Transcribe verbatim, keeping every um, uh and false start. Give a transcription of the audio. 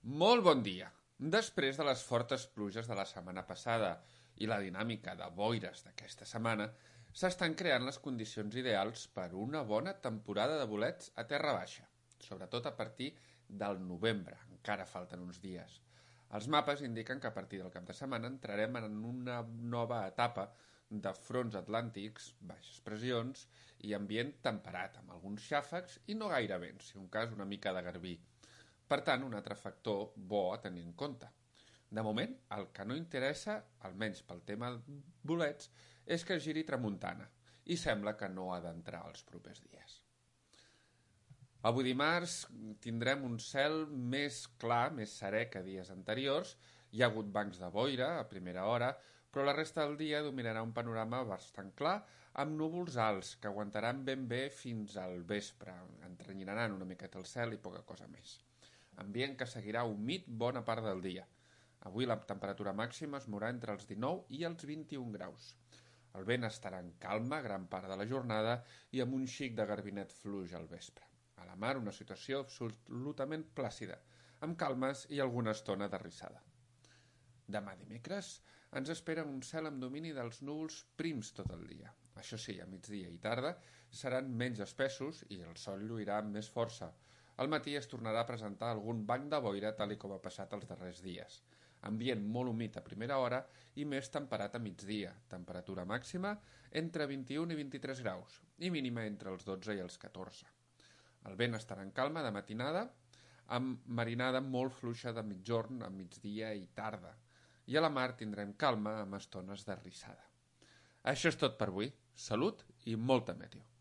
Molt bon dia! Després de les fortes pluges de la setmana passada i la dinàmica de boires d'aquesta setmana, s'estan creant les condicions ideals per una bona temporada de bolets a terra baixa, sobretot a partir del novembre, encara falten uns dies. Els mapes indiquen que a partir del cap de setmana entrarem en una nova etapa de fronts atlàntics, baixes pressions i ambient temperat, amb alguns xàfecs i no gaire vent, si un cas una mica de garbí. Per tant, un altre factor bo a tenir en compte. De moment, el que no interessa, almenys pel tema bolets, és que giri tramuntana i sembla que no ha d'entrar els propers dies. Avui dimarts tindrem un cel més clar, més serè que dies anteriors. Hi ha hagut bancs de boira a primera hora, però la resta del dia dominarà un panorama bastant clar amb núvols alts que aguantaran ben bé fins al vespre. Entrenyinaran una miqueta el cel i poca cosa més. Ambient que seguirà humit bona part del dia. Avui la temperatura màxima es mourà entre els dinou i els vint-i-un graus. El vent estarà en calma gran part de la jornada i amb un xic de garbinet fluix al vespre. A la mar una situació absolutament plàcida, amb calmes i alguna estona d'arrissada. Demà dimecres ens espera un cel amb domini dels núvols prims tot el dia. Això sí, a migdia i tarda seran menys espessos i el sol lluirà amb més força. Al matí es tornarà a presentar algun banc de boira tal i com ha passat els darrers dies. Ambient molt humit a primera hora i més temperat a migdia. Temperatura màxima entre vint-i-un i vint-i-tres graus i mínima entre els dotze i els catorze. El vent estarà en calma de matinada amb marinada molt fluixa de mitjorn a migdia i tarda. I a la mar tindrem calma amb estones d'arrissada. Això és tot per avui. Salut i molta meteo.